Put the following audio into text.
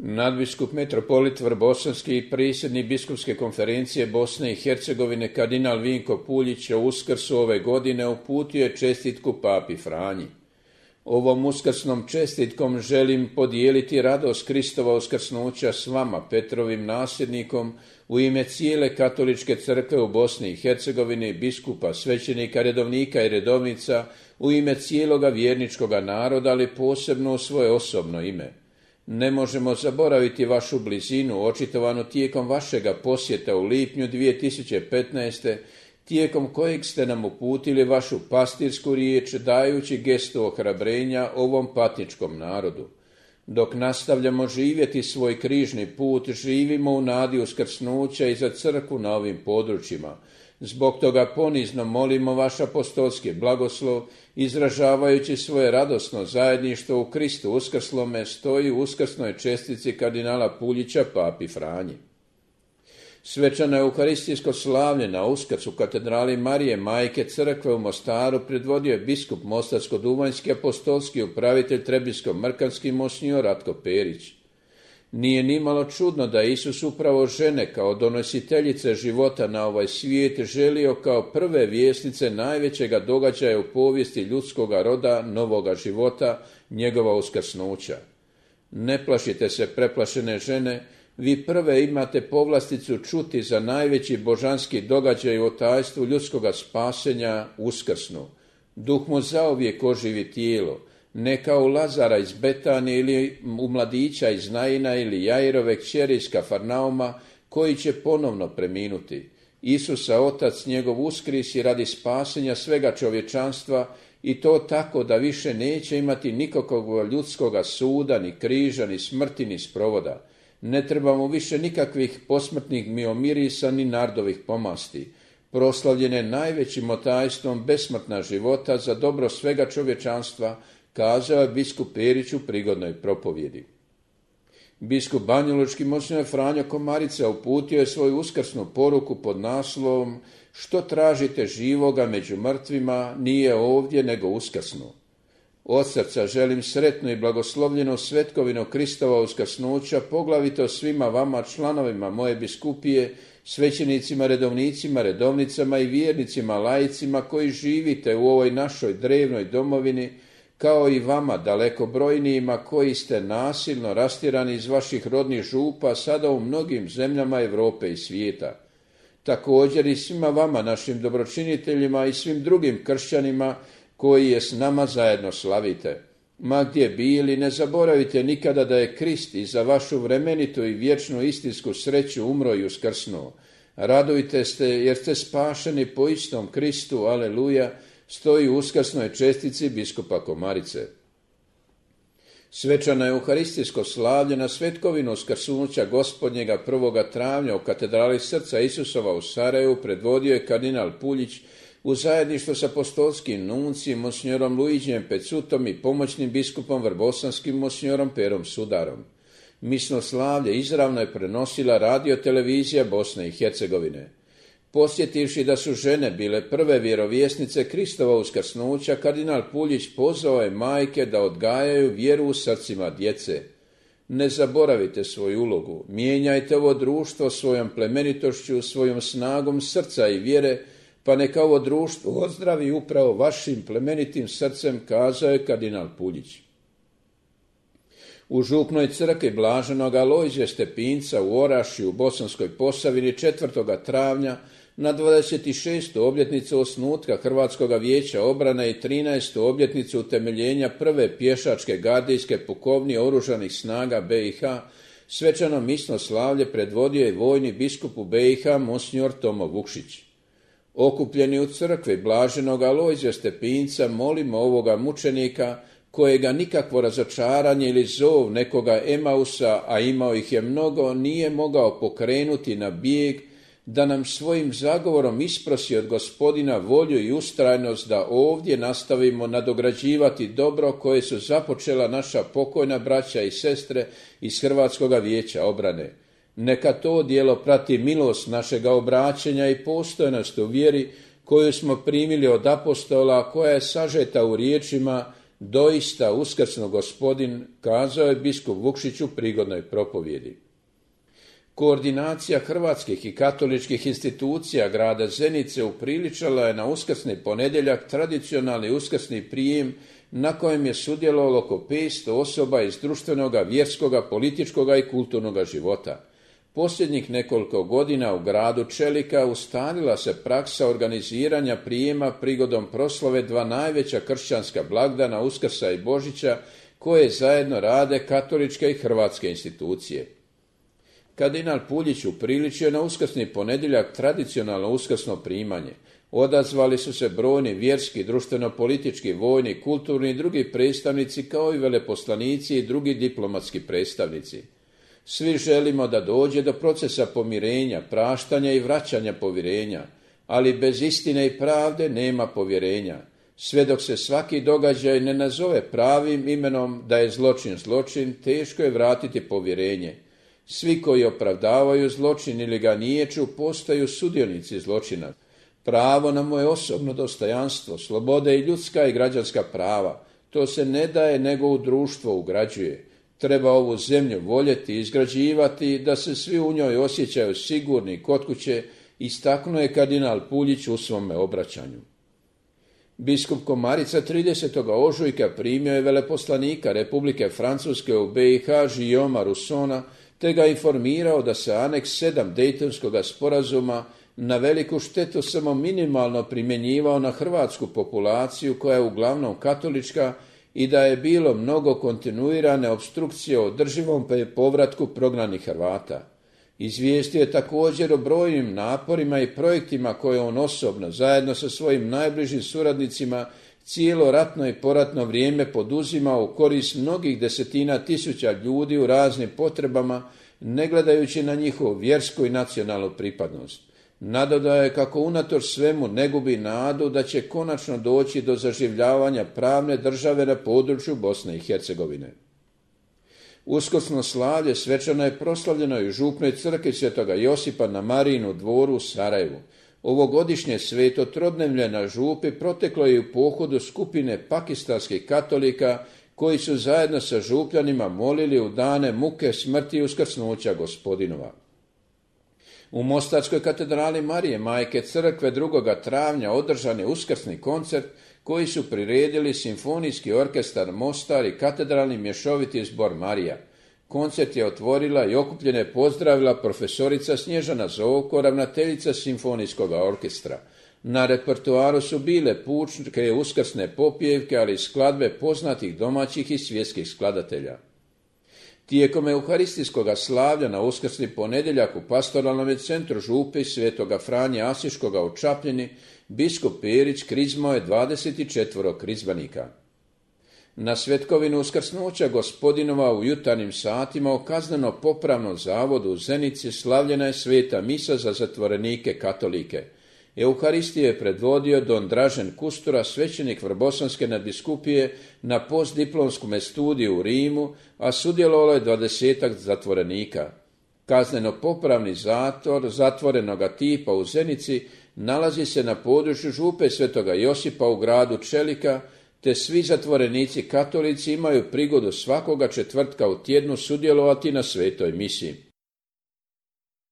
Nadbiskup metropolit Vrbosanski i predsjednik biskupske konferencije Bosne i Hercegovine kardinal Vinko Puljić o Uskrsu ove godine uputio je čestitku papi Franji. Ovom uskrsnom čestitkom želim podijeliti radost Kristova uskrsnuća s vama, Petrovim nasljednikom, u ime cijele katoličke crkve u Bosni i Hercegovini, biskupa, svećenika, redovnika i redovnica, u ime cijeloga vjerničkoga naroda, ali posebno u svoje osobno ime. Ne možemo zaboraviti vašu blizinu, očitovanu tijekom vašega posjeta u lipnju 2015. tijekom kojeg ste nam uputili vašu pastirsku riječ, dajući gestu ohrabrenja ovom patničkom narodu. Dok nastavljamo živjeti svoj križni put, živimo u nadi uskrsnuća i za crkvu na ovim područjima. Zbog toga ponizno molimo vaš apostolski blagoslov, izražavajući svoje radosno zajedništvo u Kristu uskrslome, stoji u uskrsnoj čestici kardinala Puljića papi Franji. Svečano euharistijsko slavlje na Uskrs u katedrali Marije Majke Crkve u Mostaru predvodio je biskup mostarsko-duvanjski apostolski upravitelj Trebinsko-Mrkanski monsinjor Ratko Perić. Nije nimalo čudno da Isus upravo žene kao donositeljice života na ovaj svijet želio kao prve vjesnice najvećega događaja u povijesti ljudskoga roda, novoga života, njegova uskrsnuća. Ne plašite se, preplašene žene, vi prve imate povlasticu čuti za najveći božanski događaj u tajstvu ljudskoga spasenja, uskrsnu. Duh mu zauvijek oživi tijelo, ne kao Lazara iz Betanije ili u mladića iz Naina ili Jairove kćeri iz Kafarnauma, koji će ponovno preminuti. Isusa Otac njegov uskrisi radi spasenja svega čovječanstva i to tako da više neće imati nikakvog ljudskoga suda, ni križa, ni smrti, ni sprovoda. Ne trebamo više nikakvih posmrtnih miomirisa ni nardovih pomasti. Proslavljen je najvećim otajstvom besmrtna života za dobro svega čovječanstva, kazao je biskup Perić u prigodnoj propovjedi. Biskup banjalučki monsinjor Franjo Komarica uputio je svoju uskrsnu poruku pod naslovom "Što tražite živoga među mrtvima, nije ovdje nego uskrsnu". Od srca želim sretnu i blagoslovljenu svetkovinu Kristova uskrsnuća, poglavito svima vama, članovima moje biskupije, svećenicima, redovnicima, redovnicama i vjernicima, laicima koji živite u ovoj našoj drevnoj domovini, kao i vama dalekobrojnijima koji ste nasilno rastjerani iz vaših rodnih župa sada u mnogim zemljama Europe i svijeta. Također i svima vama, našim dobročiniteljima i svim drugim kršćanima koji je s nama zajedno slavite. Ma gdje bili, ne zaboravite nikada da je Krist i za vašu vremenitu i vječnu istinsku sreću umro i uskrsnuo. Radujte se jer ste spašeni po istom Kristu, aleluja, stoji u uskrsnoj čestici biskupa Komarice. Svečano euharistijsko slavlje na svetkovinu uskrsnuća Gospodnjega 1. travnja u katedrali Srca Isusova u Sarajevu predvodio je kardinal Puljić u zajedništvu s apostolskim nuncijem monsinjorom Luiđijem Pecutom i pomoćnim biskupom vrbosanskim monsinjorom Perom Sudarom. Misno slavlje izravno je prenosila radiotelevizija Bosne i Hercegovine. Posjetivši da su žene bile prve vjerovjesnice Kristova uskrsnuća, kardinal Puljić pozvao je majke da odgajaju vjeru u srcima djece. Ne zaboravite svoju ulogu, mijenjajte ovo društvo svojom plemenitošću, svojom snagom srca i vjere, pa neka ovo društvo ozdravi upravo vašim plemenitim srcem, kazao je kardinal Puljić. U župnoj crkvi blaženog Alojzija Stepinca u Orašju u Bosanskoj Posavini 4. travnja na 26. obljetnicu osnutka Hrvatskoga vijeća obrane i 13. obljetnicu utemeljenja prve pješačke gardijske pukovnije oružanih snaga BiH, svečano misno slavlje predvodio je vojni biskup u BiH monsinjor Tomo Vukšić. Okupljeni u crkvi blaženog Alojzija Stepinca molimo ovoga mučenika, kojega nikakvo razočaranje ili zov nekoga Emausa, a imao ih je mnogo, nije mogao pokrenuti na bijeg, da nam svojim zagovorom isprosi od Gospodina volju i ustrajnost da ovdje nastavimo nadograđivati dobro koje su započela naša pokojna braća i sestre iz Hrvatskoga vijeća obrane. Neka to djelo prati milost našega obraćenja i postojnost u vjeri koju smo primili od apostola, koja je sažeta u riječima: Doista uskrsno Gospodin, kazao je biskup Vukšić u prigodnoj propovjedi. Koordinacija hrvatskih i katoličkih institucija grada Zenice upriličala je na uskrsni ponedjeljak tradicionalni uskrsni prijem na kojem je sudjelovalo oko 500 osoba iz društvenoga, vjerskoga, političkoga i kulturnoga života. Posljednjih nekoliko godina u gradu Čelika ustalila se praksa organiziranja prijema prigodom proslave dva najveća kršćanska blagdana Uskrsa i Božića koje zajedno rade katoličke i hrvatske institucije. Kardinal Puljić upriličio na uskrsni ponedjeljak tradicionalno uskrsno primanje. Odazvali su se brojni vjerski, društveno-politički, vojni, kulturni i drugi predstavnici kao i veleposlanici i drugi diplomatski predstavnici. Svi želimo da dođe do procesa pomirenja, praštanja i vraćanja povjerenja, ali bez istine i pravde nema povjerenja. Sve dok se svaki događaj ne nazove pravim imenom da je zločin zločin, teško je vratiti povjerenje. Svi koji opravdavaju zločin ili ga niječu postaju sudionici zločina. Pravo na moje osobno dostojanstvo, slobode i ljudska i građanska prava, to se ne daje nego u društvo ugrađuje. Treba ovu zemlju voljeti i izgrađivati da se svi u njoj osjećaju sigurni kod kuće, istaknuo je kardinal Puljić u svome obraćanju. Biskup Komarica 30. ožujka primio je veleposlanika Republike Francuske u BiH Guillauma Russona, te ga informirao da se aneks 7 Dejtonskog sporazuma na veliku štetu samo minimalno primjenjivao na hrvatsku populaciju koja je uglavnom katolička i da je bilo mnogo kontinuirane opstrukcije o održivom povratku prognanih Hrvata. Izvijestio je također o brojnim naporima i projektima koje on osobno, zajedno sa svojim najbližim suradnicima, cijelo ratno i poratno vrijeme poduzimao u korist mnogih desetina tisuća ljudi u raznim potrebama, ne gledajući na njihovu vjersku i nacionalnu pripadnost. Nadodao je kako unatoč svemu ne gubi nadu da će konačno doći do zaživljavanja pravne države na području Bosne i Hercegovine. Uskrsno slavlje svečano je proslavljeno i u župnoj crkvi Svetoga Josipa na Marijinu dvoru u Sarajevu. Ovogodišnje sveto trodnevlje na župi proteklo je u pohodu skupine pakistanskih katolika koji su zajedno sa župljanima molili u dane muke, smrti i uskrsnuća Gospodinova. U Mostarskoj katedrali Marije Majke Crkve 2. travnja održan je uskrsni koncert koji su priredili Simfonijski orkestar Mostar i katedralni mješoviti zbor Marija. Koncert je otvorila i okupljene pozdravila profesorica Snježana Zovko, ravnateljica Simfonijskog orkestra. Na repertoaru su bile pučke uskrsne popjevke, ali i skladbe poznatih domaćih i svjetskih skladatelja. Tijekom euharistijskog slavlja na uskrsni ponedjeljak u pastoralnom centru župe Svetoga Franje Asiškoga u Čapljini, biskup Perić krizmao je 24 krizbanika. Na svetkovinu uskrsnuća Gospodinova u jutarnjim satima u kazneno-popravnom zavodu u Zenici slavljena je sveta misa za zatvorenike katolike. Euharistiju je predvodio don Dražen Kustura, svećenik Vrbosanske nadbiskupije na postdiplomskom studiju u Rimu, a sudjelovalo je 20 zatvorenika. Kazneno-popravni zatvor zatvorenoga tipa u Zenici nalazi se na području župe Svetoga Josipa u gradu Čelika, te svi zatvorenici katolici imaju prigodu svakoga četvrtka u tjednu sudjelovati na svetoj misi.